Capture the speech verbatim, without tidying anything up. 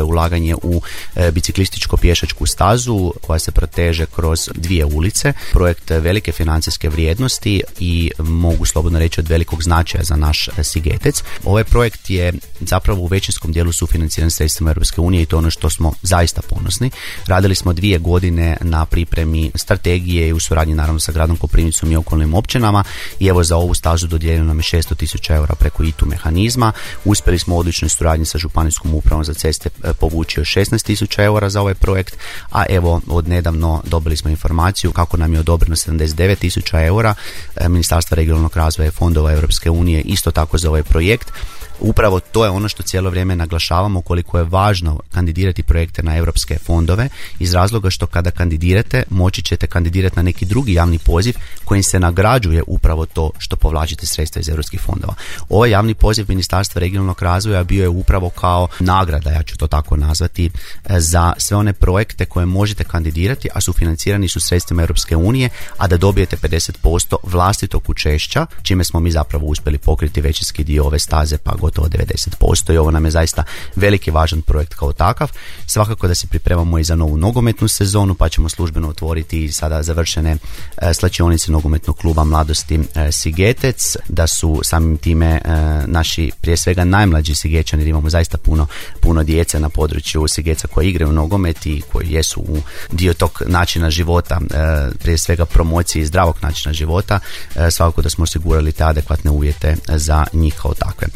to je ulaganje u biciklističko pješačku stazu koja se proteže kroz dvije ulice. Projekt velike financijske vrijednosti i mogu slobodno reći od velikog značaja za naš Sigetec. Ovaj projekt je zapravo u većinskom dijelu sufinanciran sredstvima Europske unije i to je ono što smo zaista ponosni. Radili smo dvije godine na pripremi strategije i u suradnji naravno sa gradom Koprivnicom i okolnim općinama i evo za ovu stazu dodijeljeno nam je šesto tisuća eura preko I T U mehanizma. Uspjeli smo u odličnoj suradnji sa Županijskom upravom za ceste povući još šesnaest tisuća eura za ovaj projekt, a evo od nedavno dobili smo informaciju kako nam je odobreno sedamdeset devet tisuća eura Ministarstva regionalnog razvoja i fondova Europske unije isto tako za ovaj projekt. Upravo to je ono što cijelo vrijeme naglašavamo koliko je važno kandidirati projekte na europske fondove iz razloga što kada kandidirate moći ćete kandidirati na neki drugi javni poziv kojim se nagrađuje upravo to što povlačite sredstva iz europskih fondova. Ovaj javni poziv Ministarstva regionalnog razvoja bio je upravo kao nagrada, ja ću to tako nazvati, za sve one projekte koje možete kandidirati, a sufinancirani su sredstvima Europske unije, a da dobijete pedeset posto vlastitog učešća, čime smo mi zapravo uspjeli pokriti većinski dio ove staze, pa gotovo devedeset posto i ovo nam je zaista veliki važan projekt kao takav. Svakako da se pripremamo i za novu nogometnu sezonu, pa ćemo službeno otvoriti sada završene e, slačionice nogometnog kluba mladosti e, Sigetec, da su samim time e, naši prije svega najmlađi Sigećani, jer imamo zaista puno, puno djece na području Sigeca koji igraju nogomet i koji jesu u dio tog načina života, e, prije svega promocije zdravog načina života, e, svakako da smo osigurali te adekvatne uvjete za njih kao takve.